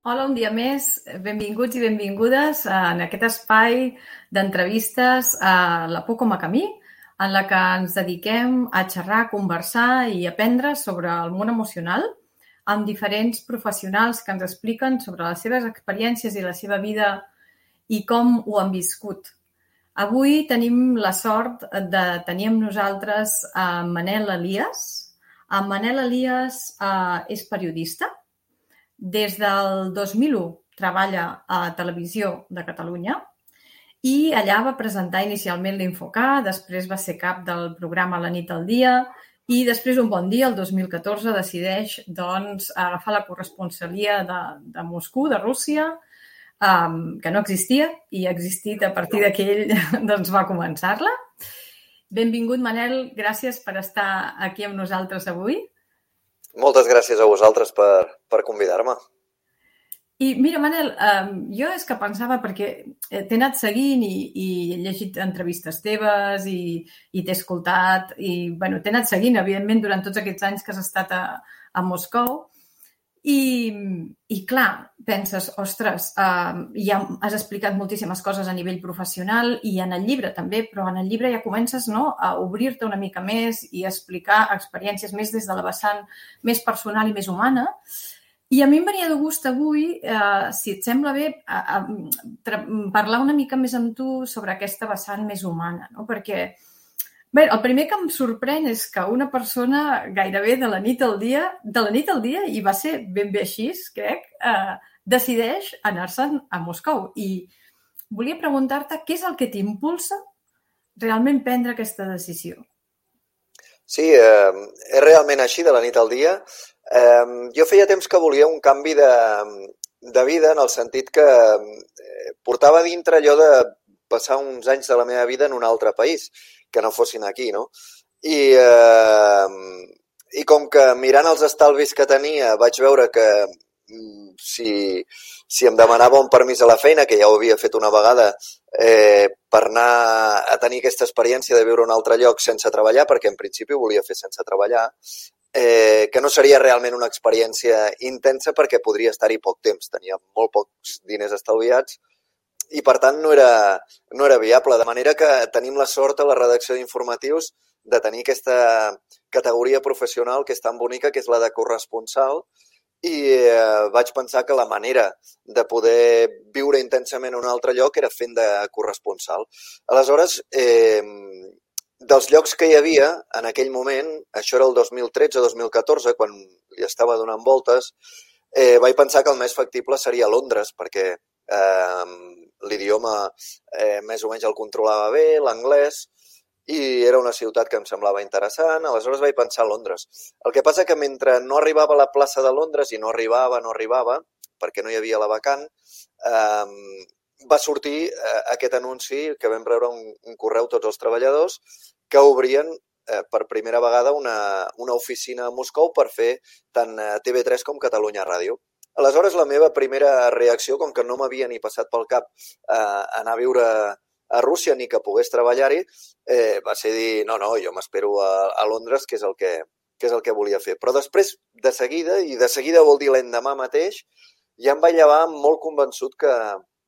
Hola, un dia més. Benvinguts i benvingudes en aquest espai d'entrevistes a la Por com a camí, en la que ens dediquem a xerrar, a conversar i aprendre sobre el món emocional amb diferents professionals que ens expliquen sobre les seves experiències i la seva vida i com ho han viscut. Avui tenim la sort de tenir amb nosaltres a Manel Elias. En Manel Elias és periodista. Des del 2001 treballa a Televisió de Catalunya i allà va presentar inicialment l'Infocar, després va ser cap del programa La nit al dia i després un bon dia, el 2014, decideix agafar la corresponsalia de Moscou, de Rússia, que no existia i ha existit a partir d'aquell va començar-la. Benvingut, Manel, gràcies per estar aquí amb nosaltres avui. Moltes gràcies a vosaltres per convidar-me. I mira, Manel, jo és que pensava, perquè t'he anat seguint i he llegit entrevistes teves i t'he escoltat i t'he anat seguint, evidentment, durant tots aquests anys que has estat a Moscou i clar, penses, ostres, ja has explicat moltíssimes coses a nivell professional i en el llibre també, però en el llibre ja comences a obrir-te una mica més i a explicar experiències més des de la vessant més personal i més humana. I a mi em venia de gust avui, si et sembla bé, parlar una mica més amb tu sobre aquesta vessant més humana, no? Perquè el primer que em sorprèn és que una persona gairebé de la nit al dia, i va ser ben bé així, crec, decideix anar-se'n a Moscou. I volia preguntar-te què és el que t'impulsa realment prendre aquesta decisió. Sí, és realment així, de la nit al dia. Jo feia temps que volia un canvi de vida, en el sentit que portava dintre allò de passar uns anys de la meva vida en un altre país, que no fossin aquí, no? I com que mirant els estalvis que tenia vaig veure que si em demanava un permís a la feina, que ja ho havia fet una vegada, per anar a tenir aquesta experiència de viure a un altre lloc sense treballar, perquè en principi ho volia fer sense treballar, que no seria realment una experiència intensa perquè podria estar-hi poc temps. Tenia molt pocs diners estalviats i, per tant, no era viable. De manera que tenim la sort a la redacció d'informatius de tenir aquesta categoria professional que és tan bonica, que és la de corresponsal, i vaig pensar que la manera de poder viure intensament en un altre lloc era fent de corresponsal. Aleshores, dels llocs que hi havia en aquell moment, això era el 2013-2014, quan li estava donant voltes, vaig pensar que el més factible seria Londres, perquè l'idioma més o menys el controlava bé, l'anglès, i era una ciutat que em semblava interessant. Aleshores vaig pensar a Londres. El que passa que mentre no arribava a la plaça de Londres, i no arribava, perquè no hi havia la vacant, va sortir aquest anunci que vam rebre un correu tots els treballadors que obrien per primera vegada una oficina a Moscou per fer tant TV3 com Catalunya Ràdio. Aleshores, la meva primera reacció, com que no m'havia ni passat pel cap anar a viure a Rússia ni que pogués treballar-hi, va ser dir, no, jo m'espero a Londres, que és el que volia fer. Però després, de seguida vol dir l'endemà mateix, ja em vaig llevar molt convençut que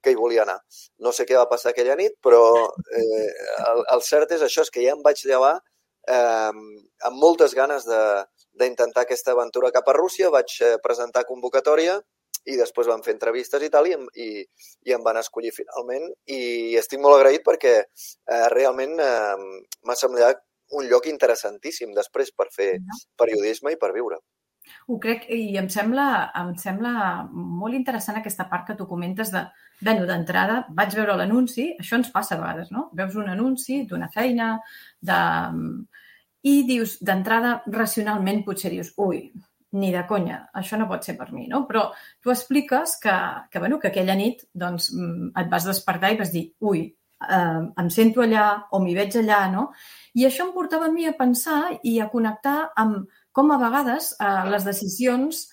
hi volia anar. No sé què va passar aquella nit, però el cert és això, és que ja em vaig llevar amb moltes ganes d'intentar aquesta aventura cap a Rússia. Vaig presentar convocatòria i després van fer entrevistes i tal, i em van escollir finalment. I estic molt agraït perquè realment m'ha semblat un lloc interessantíssim després per fer periodisme i per viure. Ho crec, i em sembla molt interessant aquesta part que tu comentes d'entrada, vaig veure l'anunci, això ens passa a vegades, no? Veus un anunci d'una feina, i dius, d'entrada, racionalment, potser dius, ui, ni de conya, això no pot ser per mi, no? Però tu expliques que aquella nit et vas despertar i vas dir, ui, em sento allà o m'hi veig allà, no? I això em portava a mi a pensar i a connectar amb com a vegades les decisions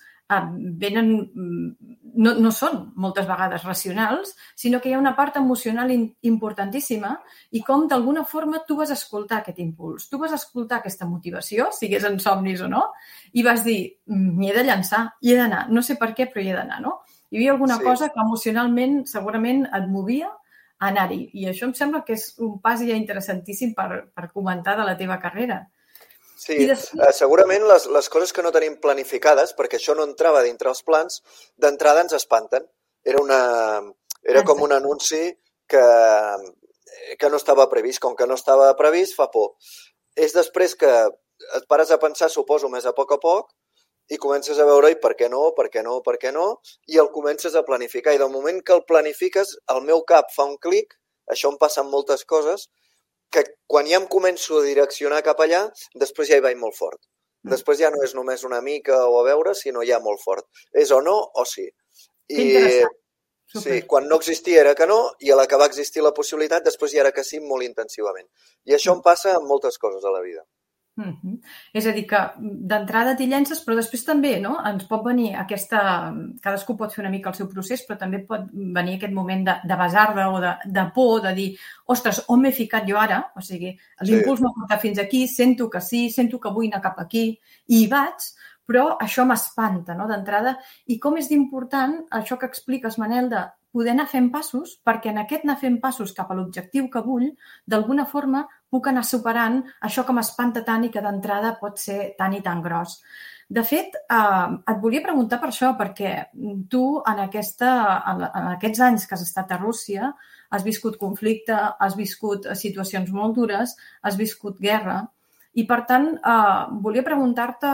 no són moltes vegades racionals, sinó que hi ha una part emocional importantíssima i com d'alguna forma tu vas escoltar aquest impuls, tu vas escoltar aquesta motivació, sigués en somnis o no, i vas dir, m'hi he de llançar, hi he d'anar, no sé per què, però hi he d'anar, no? Hi havia alguna Sí. cosa que emocionalment segurament et movia a anar-hi. I això em sembla que és un pas ja interessantíssim per comentar de la teva carrera. Sí, I després... segurament les coses que no tenim planificades, perquè això no entrava dintre els plans, d'entrada ens espanten. Era com un anunci que no estava previst. Com que no estava previst, fa por. És després que et pares a pensar, suposo, més a poc, i comences a veure, i per què no, i el comences a planificar. I del moment que el planifiques, el meu cap fa un clic, això em passa amb moltes coses, que quan ja em començo a direccionar cap allà, després ja hi vaig molt fort. Després ja no és només una mica o a veure, sinó ja molt fort. És o no o sí. Que interessant. Sí, quan no existia era que no, i a la que va existir la possibilitat, després ja era que sí, molt intensivament. I això em passa amb moltes coses a la vida. És a dir, que d'entrada t'hi llences, però després també, no? Ens pot venir aquesta... Cadascú pot fer una mica el seu procés, però també pot venir aquest moment de basarda o de por, de dir, ostres, on m'he ficat jo ara? O sigui, l'impuls m'ha portat fins aquí, sento que sí, sento que vull anar cap aquí, i hi vaig, però això m'espanta, no?, d'entrada. I com és d'important això que expliques, Manel, de poder anar fent passos, perquè en aquest anar fent passos cap a l'objectiu que vull, d'alguna forma puc anar superant això que m'espanta tant i que d'entrada pot ser tan i tan gros. De fet, et volia preguntar per això, perquè tu en aquests anys que has estat a Rússia has viscut conflicte, has viscut situacions molt dures, has viscut guerra, i per tant volia preguntar-te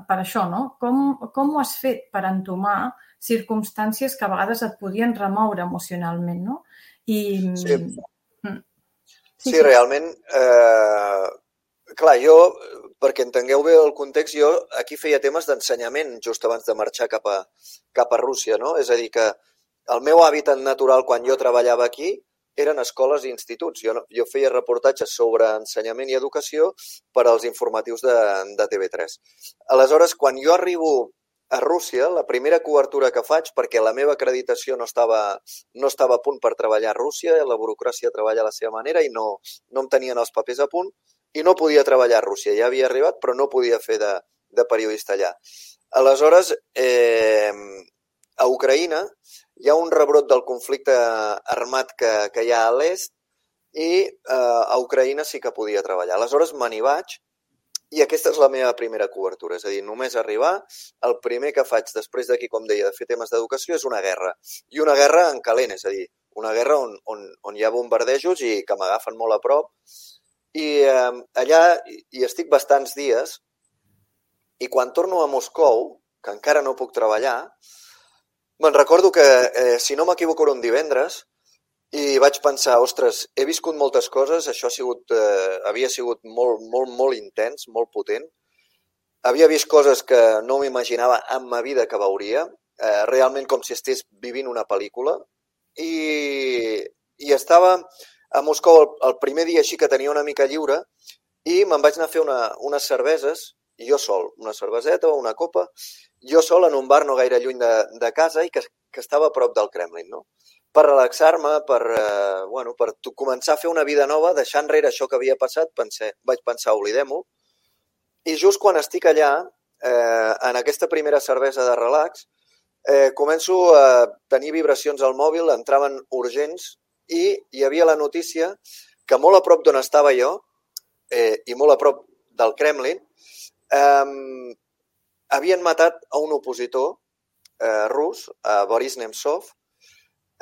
per això, no? Com ho has fet per entomar circumstàncies que a vegades et podien remoure emocionalment, no? Sí, realment, clar, jo, perquè entengueu bé el context, jo aquí feia temes d'ensenyament just abans de marxar cap a Rússia, no? És a dir, que el meu hàbitat natural quan jo treballava aquí eren escoles i instituts. Jo feia reportatges sobre ensenyament i educació per als informatius de TV3. Aleshores, quan jo arribo a Rússia, la primera cobertura que faig, perquè la meva acreditació no estava a punt per treballar a Rússia, la burocràcia treballa a la seva manera i no em tenien els papers a punt i no podia treballar a Rússia. Ja havia arribat, però no podia fer de periodista allà. Aleshores, a Ucraïna hi ha un rebrot del conflicte armat que hi ha a l'est i a Ucraïna sí que podia treballar. Aleshores me n'hi vaig i aquesta és la meva primera cobertura. És a dir, només arribar, el primer que faig després d'aquí, com deia, de fer temes d'educació és una guerra. I una guerra en calent, és a dir, una guerra on hi ha bombardejos i que m'agafen molt a prop. I allà hi estic bastants dies i quan torno a Moscou, que encara no puc treballar, me'n recordo que, si no m'equivoco, era un divendres i vaig pensar, ostres, he viscut moltes coses, això havia sigut molt, molt, molt intens, molt potent. Havia vist coses que no m'imaginava en ma vida que veuria, realment com si estigués vivint una pel·lícula. I estava a Moscou el primer dia així que tenia una mica lliure i me'n vaig anar a fer unes cerveses, jo sol, una cerveseta o una copa, jo sol en un bar no gaire lluny de casa i que estava a prop del Kremlin, no? Per relaxar-me, per començar a fer una vida nova, deixar enrere això que havia passat, vaig pensar, oblidem-ho. I just quan estic allà, en aquesta primera cervesa de relax, començo a tenir vibracions al mòbil, entraven urgents, i hi havia la notícia que molt a prop d'on estava jo, i molt a prop del Kremlin, havien matat a un opositor rus, a Boris Nemtsov.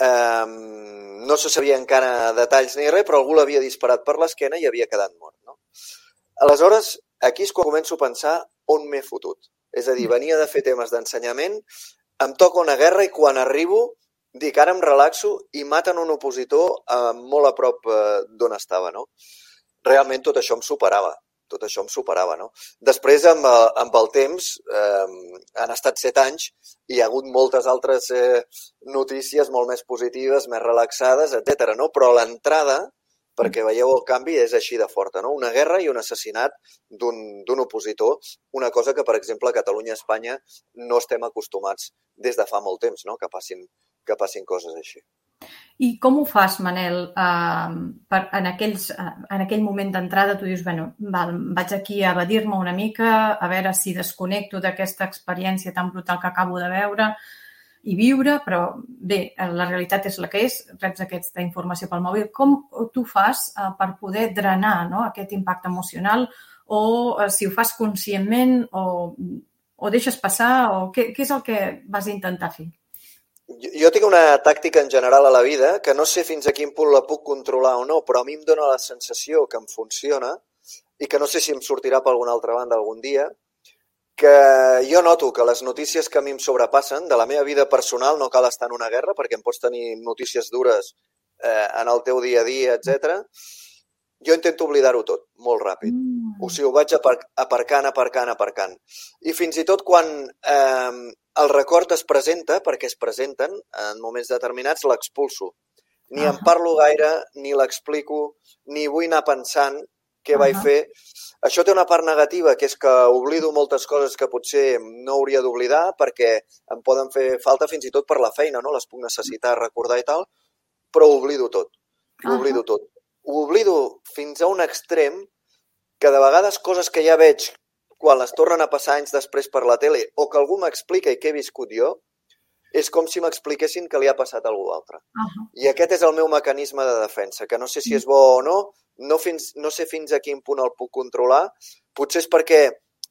No se sabia encara detalls ni res, però algú l'havia disparat per l'esquena i havia quedat mort, no? Aleshores, aquí és quan començo a pensar on m'he fotut. És a dir, venia de fer temes d'ensenyament, em toca una guerra i quan arribo dic, ara em relaxo i maten un opositor molt a prop d'on estava, no? Realment tot això em superava, no? Després, amb el temps, han estat 7 anys i hi ha hagut moltes altres notícies molt més positives, més relaxades, etc. no? Però l'entrada, perquè veieu el canvi, és així de forta, no? Una guerra i un assassinat d'un opositor, una cosa que, per exemple, a Catalunya i a Espanya no estem acostumats des de fa molt temps, no? Que passin coses així. I com ho fas, Manel? En aquell moment d'entrada tu dius, vaig aquí a evadir-me una mica, a veure si desconnecto d'aquesta experiència tan brutal que acabo de veure. i viure, però bé, la realitat és la que és, reps aquesta informació pel mòbil. Com tu fas per poder drenar, no, aquest impacte emocional, o si ho fas conscientment o deixes passar, o què és el que vas intentar fer? Jo tinc una tàctica en general a la vida que no sé fins a quin punt la puc controlar o no, però a mi em dóna la sensació que em funciona i que no sé si em sortirà per alguna altra banda algun dia, que jo noto que les notícies que a mi em sobrepassen de la meva vida personal, no cal estar en una guerra perquè em pots tenir notícies dures en el teu dia a dia, etc. Jo intento oblidar-ho tot, molt ràpid. O sigui, ho vaig aparcant. I fins i tot quan el record es presenta, perquè es presenten en moments determinats, l'expulso. Ni en parlo gaire, ni l'explico, ni vull anar pensant què vaig fer. Això té una part negativa, que és que oblido moltes coses que potser no hauria d'oblidar perquè em poden fer falta fins i tot per la feina, no? Les puc necessitar recordar i tal, però ho oblido tot. Ho oblido tot. Ho oblido fins a un extrem que de vegades coses que ja veig quan les tornen a passar anys després per la tele o que algú m'explica i que he viscut jo, és com si m'expliquessin que li ha passat a algú altre. I aquest és el meu mecanisme de defensa, que no sé si és bo o no, no sé fins a quin punt el puc controlar. Potser és perquè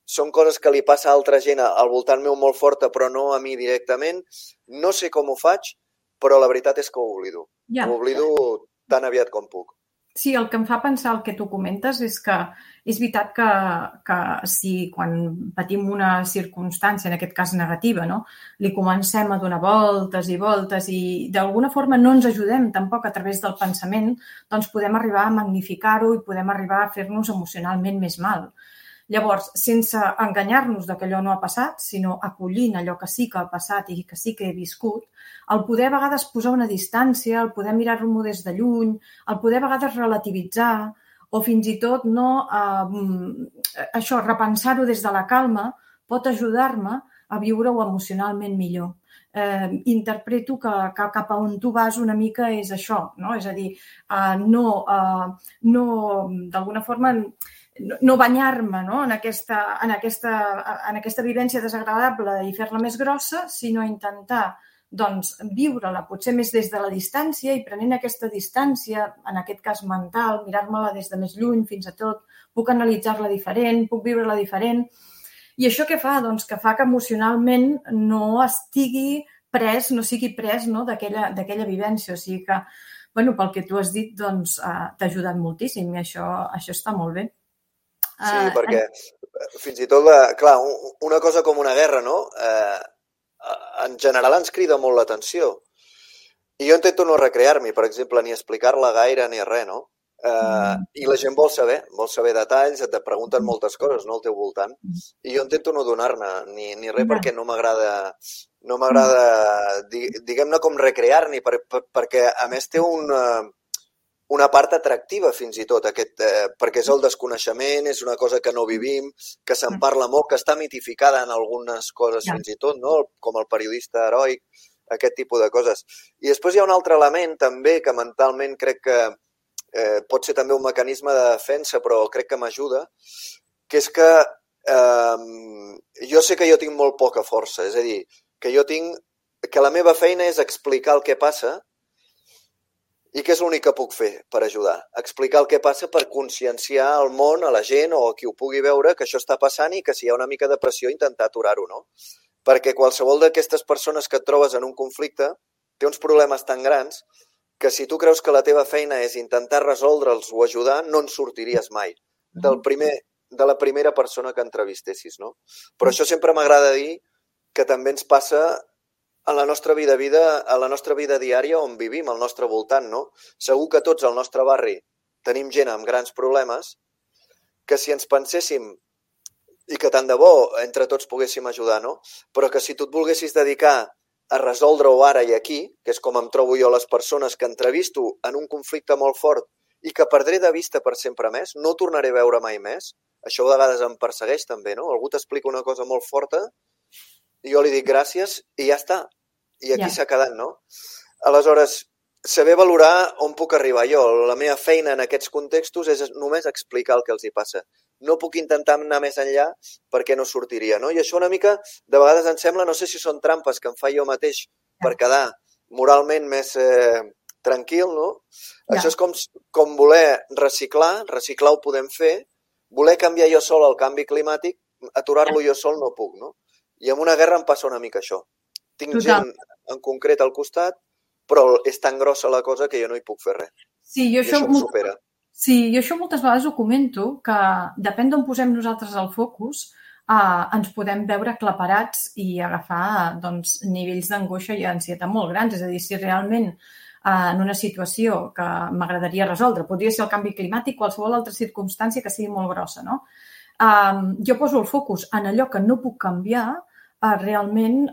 són coses que li passa a altra gent al voltant meu molt forta, però no a mi directament. No sé com ho faig, però la veritat és que ho oblido. Ho oblido tan aviat com puc. Sí, el que em fa pensar el que tu comentes és que és veritat que si quan patim una circumstància, en aquest cas negativa, no, li comencem a donar voltes i voltes i d'alguna forma no ens ajudem tampoc a través del pensament, doncs podem arribar a magnificar-ho i podem arribar a fer-nos emocionalment més mal. Llavors, sense enganyar-nos que allò no ha passat, sinó acollint allò que sí que ha passat i que sí que he viscut, el poder a vegades posar una distància, el poder mirar-lo des de lluny, el poder a vegades relativitzar o fins i tot repensar-ho des de la calma pot ajudar-me a viure-ho emocionalment millor. Interpreto que cap a on tu vas una mica és això, no? És a dir, d'alguna forma no banyar-me, no, en aquesta vivència desagradable i fer-la més grossa, sinó intentar viure-la potser més des de la distància i prenent aquesta distància, en aquest cas mental, mirar-me-la des de més lluny fins a tot, puc analitzar-la diferent, puc viure-la diferent. I això què fa? Doncs que fa que emocionalment no estigui pres, no sigui pres d'aquella vivència. O sigui que, pel que tu has dit, t'ha ajudat moltíssim i això està molt bé. Sí, perquè fins i tot, clar, una cosa com una guerra, no? En general ens crida molt l'atenció. I jo intento no recrear-m'hi, per exemple, ni explicar-la gaire ni res, no? I la gent vol saber detalls, et pregunten moltes coses, no, al teu voltant. I jo intento no donar-ne ni res perquè no m'agrada, diguem-ne, com recrear-n'hi, perquè a més té una part atractiva fins i tot, perquè és el desconeixement, és una cosa que no vivim, que se'n parla molt, que està mitificada en algunes coses fins i tot, no? Com el periodista heroic, aquest tipus de coses. I després hi ha un altre element també que mentalment crec que pot ser també un mecanisme de defensa, però crec que m'ajuda, que és que jo sé que jo tinc molt poca força, és a dir, que la meva feina és explicar el que passa. I què és l'únic que puc fer per ajudar? Explicar el que passa per conscienciar al món, a la gent o a qui ho pugui veure que això està passant i que si hi ha una mica de pressió intentar aturar-ho, no? Perquè qualsevol d'aquestes persones que et trobes en un conflicte té uns problemes tan grans que si tu creus que la teva feina és intentar resoldre'ls o ajudar, no en sortiries mai de la primera persona que entrevistessis, no? Però això sempre m'agrada dir que també ens passa a la nostra vida diària on vivim, al nostre voltant, no? Segur que tots al nostre barri tenim gent amb grans problemes que si ens penséssim i que tant de bo entre tots poguéssim ajudar, no? Però que si tu et volguessis dedicar a resoldre-ho ara i aquí, que és com em trobo jo les persones que entrevisto en un conflicte molt fort i que perdré de vista per sempre més, no tornaré a veure mai més, això a vegades em persegueix també, no? Algú t'explica una cosa molt forta i jo li dic gràcies i ja està. I aquí s'ha quedat, no? Aleshores, saber valorar on puc arribar jo. La meva feina en aquests contextos és només explicar el que els hi passa. no puc intentar anar més enllà perquè no sortiria, no? I això una mica, de vegades em sembla, no sé si són trampes que em fa jo mateix per quedar moralment més tranquil, no? Això és com voler reciclar ho podem fer, voler canviar jo sol el canvi climàtic, aturar-lo jo sol no puc, no? I amb una guerra em passa una mica això. Tinc gent en concret al costat, però és tan grossa la cosa que jo no hi puc fer res. Sí, I això em supera. Sí, jo això moltes vegades ho comento, que depèn d'on posem nosaltres el focus, ens podem veure aclaparats i agafar nivells d'angoixa i ansietat molt grans. És a dir, si realment en una situació que m'agradaria resoldre, podria ser el canvi climàtic, qualsevol altra circumstància que sigui molt grossa, no? Jo poso el focus en allò que no puc canviar, realment,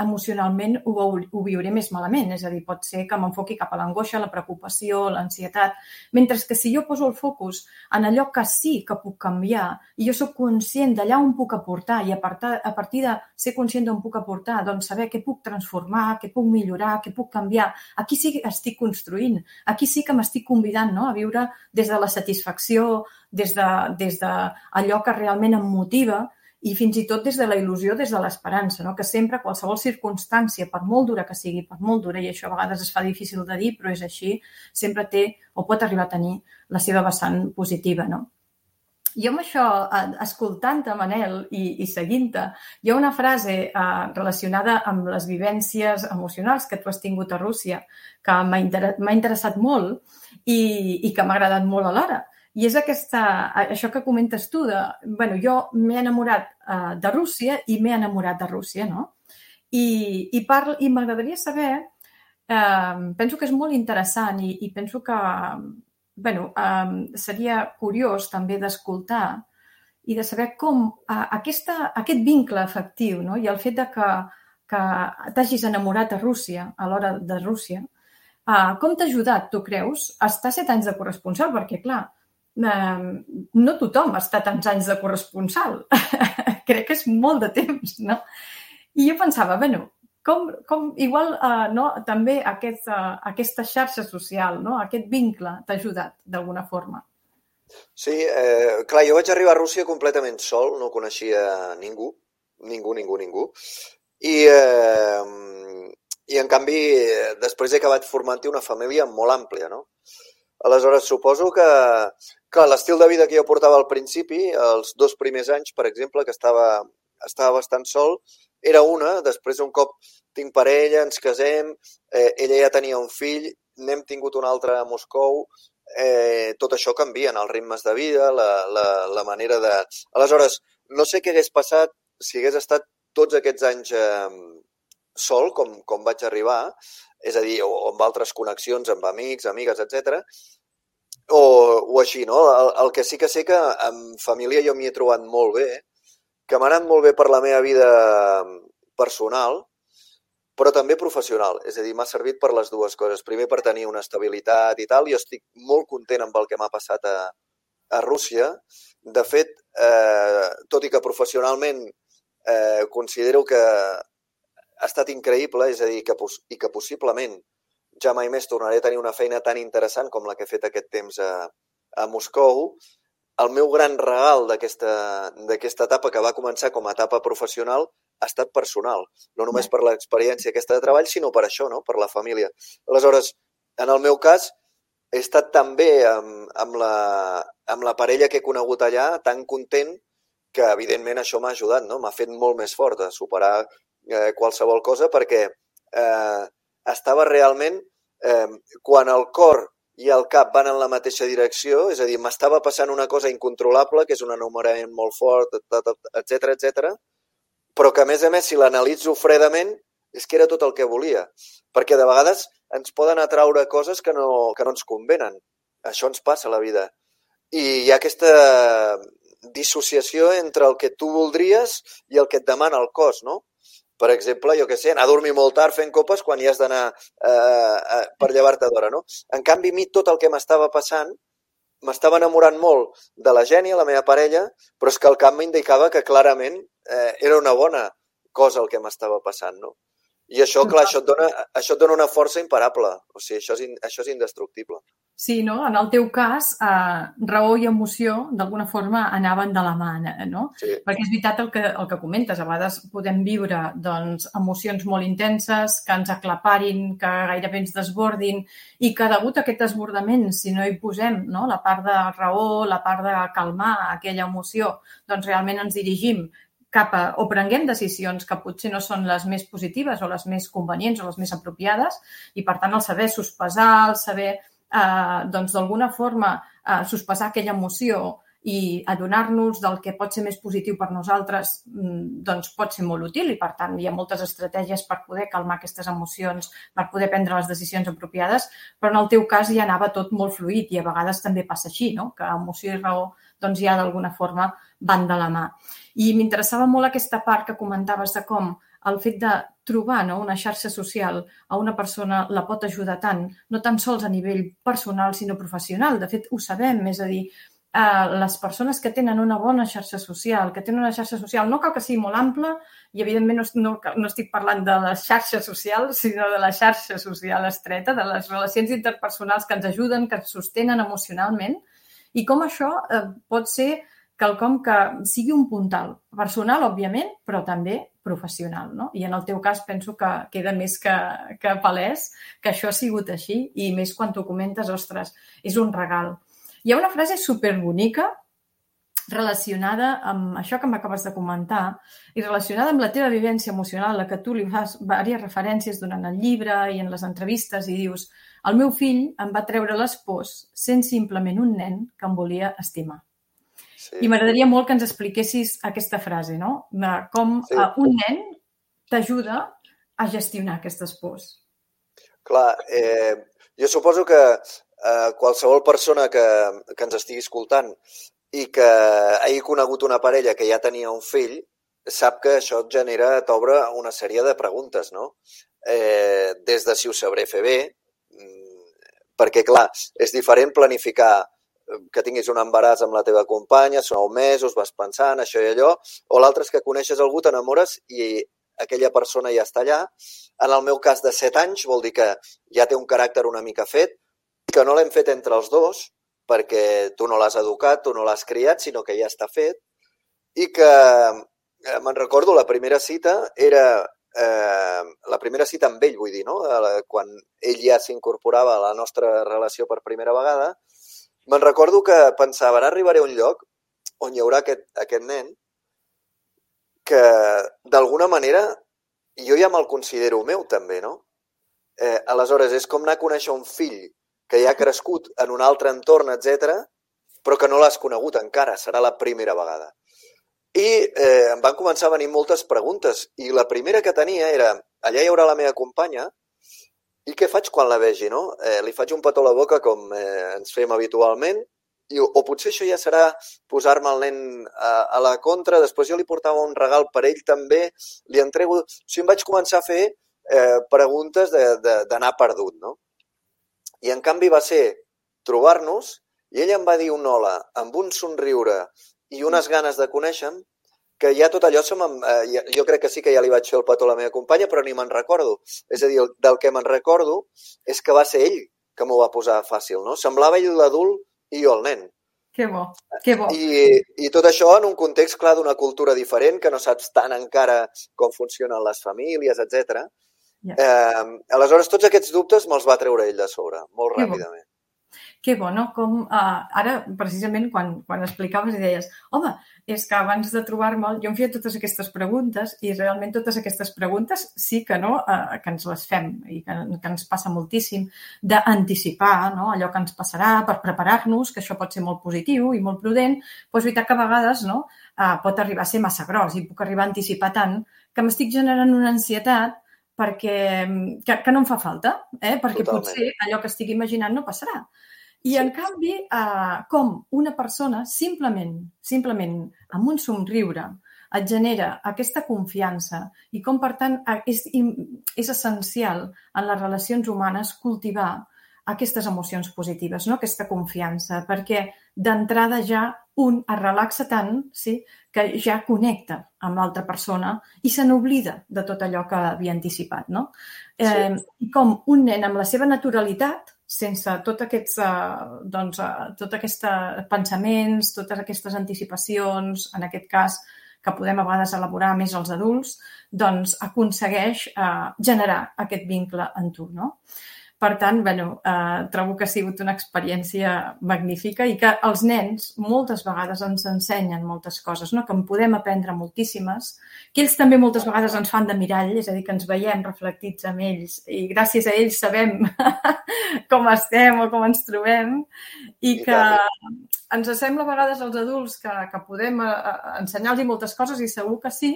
emocionalment ho viuré més malament. És a dir, pot ser que m'enfoqui cap a l'angoixa, la preocupació, l'ansietat. Mentre que si jo poso el focus en allò que sí que puc canviar i jo soc conscient d'allà on puc aportar i a partir de ser conscient d'on puc aportar, doncs saber què puc transformar, què puc millorar, què puc canviar, aquí sí que estic construint, aquí sí que m'estic convidant, no?, a viure des de la satisfacció, des d'allò que realment em motiva i fins i tot des de la il·lusió, des de l'esperança, no? Que sempre qualsevol circumstància, per molt dura que sigui, per molt dura, i això a vegades es fa difícil de dir, però és així, sempre té o pot arribar a tenir la seva vessant positiva, no? Jo amb això, escoltant-te, Manel, i seguint-te, hi ha una frase relacionada amb les vivències emocionals que tu has tingut a Rússia que m'ha interessat molt i que m'ha agradat molt alhora. I és això que comentes tu de, jo m'he enamorat de Rússia i m'he enamorat de Rússia, no? I m'agradaria saber, penso que és molt interessant i penso que, seria curiós també d'escoltar i de saber com aquest vincle afectiu, no? I el fet que t'hagis enamorat de Rússia, a l'hora de Rússia, com t'ha ajudat, tu creus, a estar 7 anys de corresponsal? Perquè, clar, no tothom està tants anys de corresponsal. Crec que és molt de temps, no? I jo pensava, com igual també aquesta xarxa social, no? Aquest vincle t'ha ajudat d'alguna forma. Sí, clar, jo vaig arribar a Rússia completament sol, no coneixia ningú. I en canvi, després he acabat formant-hi una família molt àmplia, no? Aleshores, suposo que l'estil de vida que jo portava al principi, els 2 primers anys, per exemple, que estava bastant sol, era una. Després, un cop tinc parella, ens casem, ella ja tenia un fill, n'hem tingut un altre a Moscou, tot això canvia, els ritmes de vida, la manera de... Aleshores, no sé què hagués passat si hagués estat tots aquests anys sol, com vaig arribar, és a dir, o amb altres connexions, amb amics, amigues, etc. O així, no? El que sí que sé que amb família jo m'hi he trobat molt bé, que m'ha anat molt bé per la meva vida personal, però també professional. És a dir, m'ha servit per les dues coses. Primer, per tenir una estabilitat i tal. Jo estic molt content amb el que m'ha passat a Rússia. De fet, tot i que professionalment considero que ha estat increïble, és a dir, que possiblement ja mai més tornaré a tenir una feina tan interessant com la que he fet aquest temps a Moscou. El meu gran regal d'aquesta etapa, que va començar com a etapa professional, ha estat personal. No només per l'experiència aquesta de treball, sinó per això, no? Per la família. Aleshores, en el meu cas, he estat tan bé amb la parella que he conegut allà, tan content, que evidentment això m'ha ajudat, no? M'ha fet molt més fort a superar qualsevol cosa, perquè estava realment, quan el cor i el cap van en la mateixa direcció, és a dir, m'estava passant una cosa incontrolable, que és un enamorament molt fort, etc, però que a més, si l'analitzo fredament, és que era tot el que volia. Perquè de vegades ens poden atraure coses que no ens convenen. Això ens passa a la vida. I hi ha aquesta dissociació entre el que tu voldries i el que et demana el cos, no? Per exemple, jo què sé, anar a dormir molt tard fent copes quan hi has d'anar per llevar-te d'hora, no? En canvi, a mi tot el que m'estava passant, m'estava enamorant molt de la Gènia, la meva parella, però és que el cap m'indicava que clarament era una bona cosa el que m'estava passant, no? I això, clar, això et dona una força imparable. O sigui, això és indestructible. Sí, no? En el teu cas, raó i emoció, d'alguna forma, anaven de la mà, no? Sí. Perquè és veritat el que comentes. A vegades podem viure doncs, emocions molt intenses, que ens aclaparin, que gairebé ens desbordin, i que degut a aquest desbordament, si no hi posem no? La part de raó, la part de calmar aquella emoció, doncs realment ens dirigim o prenguem decisions que potser no són les més positives o les més convenients o les més apropiades, i per tant el saber sospesar, el saber doncs d'alguna forma sospesar aquella emoció i adonar-nos del que pot ser més positiu per nosaltres doncs pot ser molt útil i per tant hi ha moltes estratègies per poder calmar aquestes emocions, per poder prendre les decisions apropiades, però en el teu cas ja anava tot molt fluid i a vegades també passa així, no? Que emoció i raó doncs ja d'alguna forma van de la mà. I m'interessava molt aquesta part que comentaves de com el fet de trobar una xarxa social a una persona la pot ajudar tant, no tan sols a nivell personal, sinó professional. De fet, ho sabem, és a dir, les persones que tenen una bona xarxa social, que tenen una xarxa social, no cal que sigui molt ampla, i evidentment no estic parlant de la xarxa social, sinó de la xarxa social estreta, de les relacions interpersonals que ens ajuden, que ens sostenen emocionalment, i com això pot ser quelcom que sigui un puntal personal, òbviament, però també professional, no? I en el teu cas penso que queda més que palès que això ha sigut així i més quan t'ho comentes, ostres, és un regal. Hi ha una frase superbonica relacionada amb això que m'acabes de comentar i relacionada amb la teva vivència emocional, a la que tu li fas diverses referències durant el llibre i en les entrevistes i dius: el meu fill em va treure les pors sent simplement un nen que em volia estimar. Sí. I m'agradaria molt que ens expliquessis aquesta frase, no? Com un nen t'ajuda a gestionar aquestes pors. Clar, jo suposo que qualsevol persona que ens estigui escoltant i que hagi conegut una parella que ja tenia un fill, sap que això t'obre una sèrie de preguntes, no? Des de si ho sabré fer bé, perquè, clar, és diferent planificar que tinguis un embaràs amb la teva companya, són 9 mesos, vas pensant, això i allò, o l'altre és que coneixes algú, t'enamores i aquella persona ja està allà. En el meu cas de 7 anys vol dir que ja té un caràcter una mica fet, que no l'hem fet entre els dos, perquè tu no l'has educat, tu no l'has criat, sinó que ja està fet, i que me'n recordo, la primera cita era la primera cita amb ell, vull dir, no? Quan ell ja s'incorporava a la nostra relació per primera vegada. Me'n recordo que pensava, ara arribaré a un lloc on hi haurà aquest nen que, d'alguna manera, jo ja me'l considero meu, també, no? Aleshores, és com anar a conèixer un fill que ja ha crescut en un altre entorn, etc, però que no l'has conegut encara, serà la primera vegada. I em van començar a venir moltes preguntes, i la primera que tenia era, allà hi haurà la meva companya, i què faig quan la vegi, no? Li faig un petó a la boca com ens fem habitualment, o potser això ja serà posar-me el nen a la contra, després jo li portava un regal per ell també, li entrego... O sigui, em vaig començar a fer preguntes d'anar perdut, no? I en canvi va ser trobar-nos, i ella em va dir un hola amb un somriure i unes ganes de conèixer-me, que ja tot allò, jo crec que sí que ja li vaig fer el petó a la meva companya, però ni me'n recordo. És a dir, del que me'n recordo és que va ser ell que m'ho va posar fàcil, no? Semblava ell l'adult i jo el nen. Que bo, que bo. I tot això en un context, clar, d'una cultura diferent, que no saps tant encara com funcionen les famílies, etc. Aleshores, tots aquests dubtes me'ls va treure ell de sobre, molt ràpidament. Que bo, no? Com ara, precisament, quan explicaves i deies, home, és que abans de trobar-me'l jo em feia totes aquestes preguntes i realment totes aquestes preguntes sí que no, que ens les fem i que ens passa moltíssim d'anticipar, no? Allò que ens passarà per preparar-nos, que això pot ser molt positiu i molt prudent, però és veritat que a vegades no, pot arribar a ser massa gros i puc arribar a anticipar tant que m'estic generant una ansietat que no em fa falta, perquè Totalment. Potser allò que estic imaginant no passarà. I, en canvi, com una persona simplement amb un somriure et genera aquesta confiança i com, per tant, és essencial en les relacions humanes cultivar aquestes emocions positives, no? Aquesta confiança, perquè d'entrada ja un es relaxa tant, sí, que ja connecta amb l'altra persona i se n'oblida de tot allò que havia anticipat, no? I com un nen amb la seva naturalitat, sense tots aquests pensaments, totes aquestes anticipacions, en aquest cas, que podem a vegades elaborar més els adults, doncs aconsegueix generar aquest vincle en tu, no? Per tant, trobo que ha sigut una experiència magnífica i que els nens moltes vegades ens ensenyen moltes coses, no? Que en podem aprendre moltíssimes, que ells també moltes vegades ens fan de mirall, és a dir, que ens veiem reflectits en ells i gràcies a ells sabem com estem o com ens trobem i que ens sembla a vegades als adults que podem ensenyar-los moltes coses i segur que sí,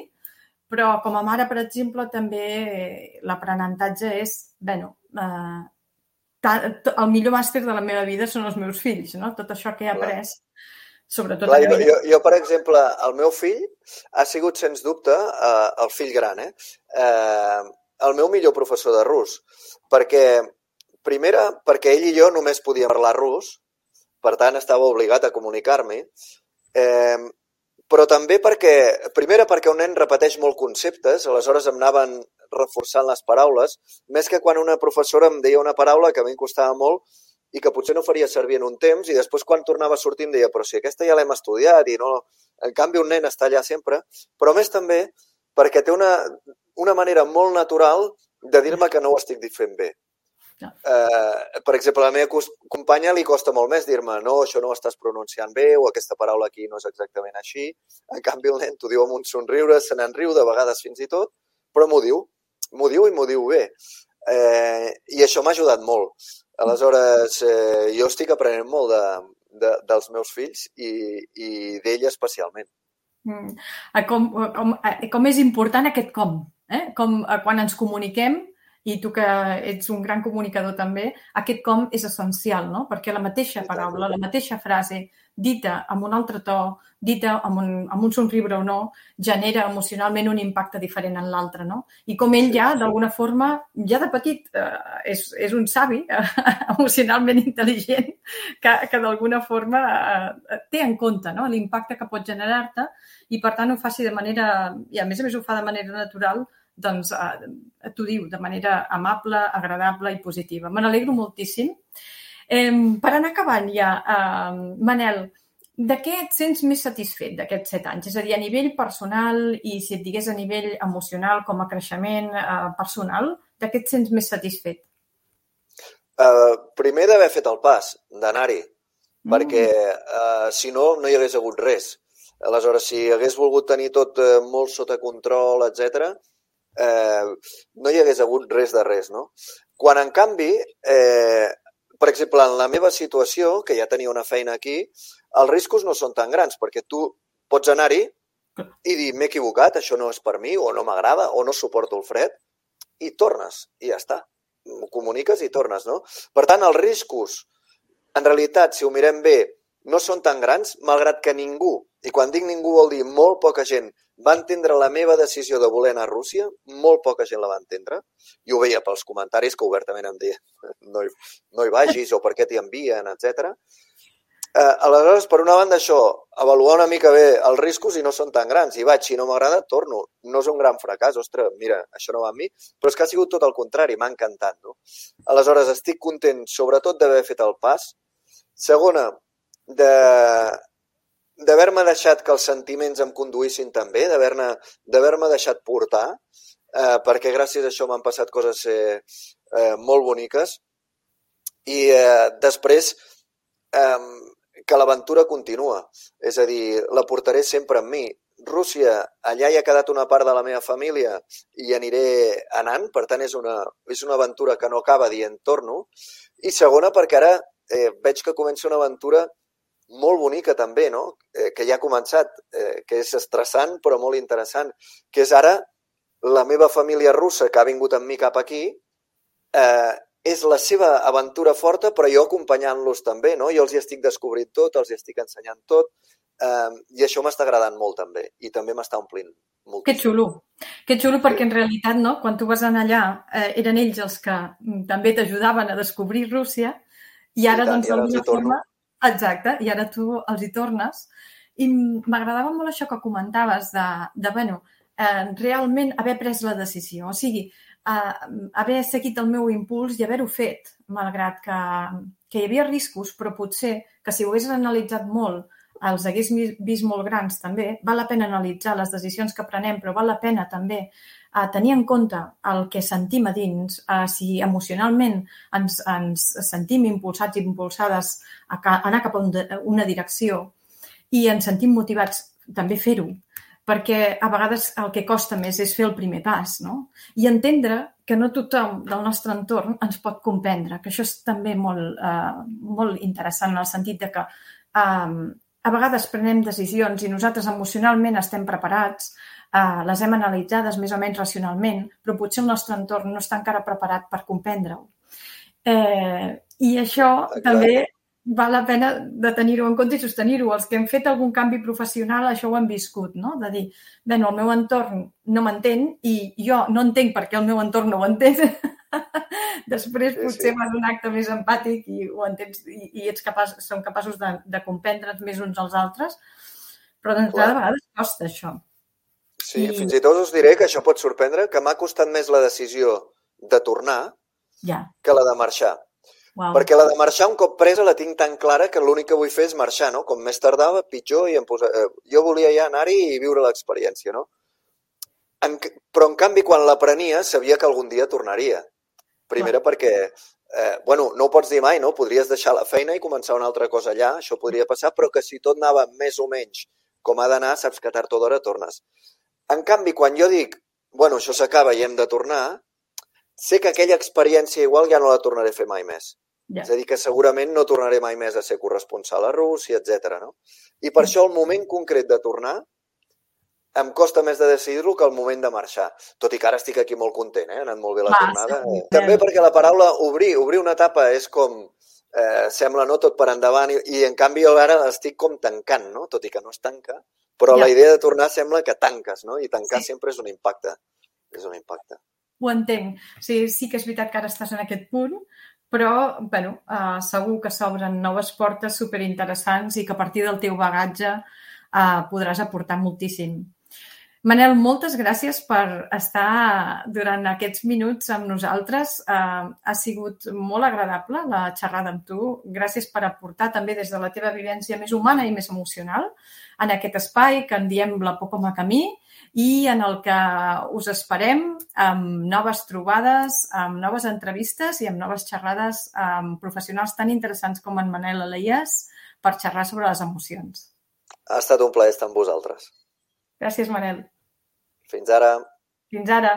però com a mare, per exemple, també l'aprenentatge és, el millor màster de la meva vida són els meus fills, no? Tot això que he après, sobretot... Clar, jo, per exemple, el meu fill ha sigut, sens dubte, el fill gran, el meu millor professor de rus, perquè, primera, perquè ell i jo només podíem parlar rus, per tant, estava obligat a comunicar-me, però també perquè un nen repeteix molt conceptes, aleshores em anaven reforçant les paraules, més que quan una professora em deia una paraula que a mi em costava molt i que potser no faria servir en un temps i després quan tornava a sortir em deia però si aquesta ja l'hem estudiat i no... En canvi un nen està allà sempre, però més també perquè té una manera molt natural de dir-me que no ho estic fent bé. No. Per exemple, a la meva companya li costa molt més dir-me no, això no ho estàs pronunciant bé o aquesta paraula aquí no és exactament així. En canvi el nen t'ho diu amb un somriure, se n'en riu de vegades fins i tot, però m'ho diu i m'ho diu bé. I això m'ha ajudat molt. Aleshores, jo estic aprenent molt dels meus fills i d'ell especialment. Com és important aquest com. Com quan ens comuniquem, i tu que ets un gran comunicador també, aquest com és essencial, no? Perquè la mateixa paraula, la mateixa frase, dita amb un altre to, dita amb un somriure o no, genera emocionalment un impacte diferent en l'altre, no? I com ell ja, d'alguna forma, ja de petit, és un savi emocionalment intel·ligent que d'alguna forma té en compte, no? L'impacte que pot generar-te i, per tant, ho faci de manera... I, a més ho fa de manera natural, doncs t'ho diu de manera amable, agradable i positiva. Me n'alegro moltíssim. Per anar acabant ja, Manel, de què et sents més satisfet d'aquests 7 anys? És a dir, a nivell personal i si et digués a nivell emocional com a creixement personal, de què et sents més satisfet? Primer d'haver fet el pas, d'anar-hi, perquè si no, no hi hagués hagut res. Aleshores, si hagués volgut tenir tot molt sota control, etc., no hi hagués hagut res de res, no? Quan, en canvi, per exemple, en la meva situació, que ja tenia una feina aquí, els riscos no són tan grans, perquè tu pots anar-hi i dir, m'he equivocat, això no és per mi, o no m'agrada, o no suporto el fred, i tornes, i ja està. Ho comuniques i tornes, no? Per tant, els riscos, en realitat, si ho mirem bé, no són tan grans, malgrat que ningú, i quan dic ningú vol dir molt poca gent, va entendre la meva decisió de voler anar a Rússia, molt poca gent la va entendre, i ho veia pels comentaris que obertament em deien no hi vagis o per què t'hi envien, etc. Aleshores, per una banda, això, avaluar una mica bé els riscos i no són tan grans. I vaig, si no m'agrada, torno. No és un gran fracàs, ostres, mira, això no va amb mi, però és que ha sigut tot el contrari, m'ha encantat, no? Aleshores, estic content, sobretot, d'haver fet el pas. Segona, d'haver-me deixat que els sentiments em conduïssin també, d'haver-me deixat portar, perquè gràcies a això m'han passat coses molt boniques. I després, que l'aventura continua. És a dir, la portaré sempre amb mi. Rússia, allà hi ha quedat una part de la meva família i aniré anant, per tant és una aventura que no acaba dient torno. I segona, perquè ara veig que comença una aventura molt bonica també, no? Que ja ha començat, que és estressant però molt interessant, que és ara la meva família russa que ha vingut amb mi cap aquí, és la seva aventura forta, però jo acompanyant-los també, no? Jo els hi estic descobrint tot, els hi estic ensenyant tot, i això m'està agradant molt també, i també m'està omplint moltíssim. Que xulo, perquè en realitat, no? Quan tu vas anar allà, eren ells els que també t'ajudaven a descobrir Rússia, i ara, doncs, d'alguna forma... Exacte, i ara tu els hi tornes. I m'agradava molt això que comentaves de realment haver pres la decisió. O sigui, haver seguit el meu impuls i haver-ho fet, malgrat que hi havia riscos, però potser que si ho hagués analitzat molt, els hagués vist molt grans també. Val la pena analitzar les decisions que prenem, però val la pena també tenir en compte el que sentim a dins, si emocionalment ens sentim impulsats i impulsades a anar cap a una direcció i ens sentim motivats també fer-ho, perquè a vegades el que costa més és fer el primer pas, no? I entendre que no tothom del nostre entorn ens pot comprendre, que això és també molt interessant en el sentit de que a vegades prenem decisions i nosaltres emocionalment estem preparats, les hem analitzades més o menys racionalment, però potser el nostre entorn no està encara preparat per comprendre-ho. I això també val la pena de tenir-ho en compte i sostenir-ho. Els que hem fet algun canvi professional això ho hem viscut, no? De dir, bé, el meu entorn no m'entén i jo no entenc per què el meu entorn no ho entén. Després potser fas un acte més empàtic i ho entens i som capaços de comprendre'ns més uns als altres, però d'entrada a vegades costa això. Sí, fins i tot us diré que això pot sorprendre, que m'ha costat més la decisió de tornar que la de marxar. Wow. Perquè la de marxar un cop presa la tinc tan clara que l'únic que vull fer és marxar, no? Com més tardava, pitjor, i jo volia ja anar-hi i viure l'experiència, no? Però en canvi quan la prenia sabia que algun dia tornaria. Primera perquè, no ho pots dir mai, no? Podries deixar la feina i començar una altra cosa allà, això podria passar, però que si tot anava més o menys com ha d'anar, saps que tard o d'hora tornes. En canvi, quan jo dic, això s'acaba i hem de tornar, sé que aquella experiència igual ja no la tornaré a fer mai més. És a dir, que segurament no tornaré mai més a ser corresponsal a Rússia, etc. No? I per això el moment concret de tornar em costa més de decidir-lo que el moment de marxar. Tot i que ara estic aquí molt content, ha anat molt bé la tornada. També perquè la paraula obrir una etapa és com, sembla no tot per endavant, i en canvi jo ara l'estic com tancant, no? Tot i que no es tanca, però la idea de tornar sembla que tanques, no? I tancar sempre és un impacte. És un impacte. Ho entenc. Sí que és veritat que ara estàs en aquest punt, però segur que s'obren noves portes superinteressants i que a partir del teu bagatge podràs aportar moltíssim. Manel, moltes gràcies per estar durant aquests minuts amb nosaltres. Ha sigut molt agradable la xerrada amb tu. Gràcies per aportar també des de la teva vivència més humana i més emocional en aquest espai que en diem La Por com a camí i en el que us esperem amb noves trobades, amb noves entrevistes i amb noves xerrades amb professionals tan interessants com en Manel Aleies per xerrar sobre les emocions. Ha estat un plaer estar amb vosaltres. Gràcies, Manel. Fins ara. Fins ara.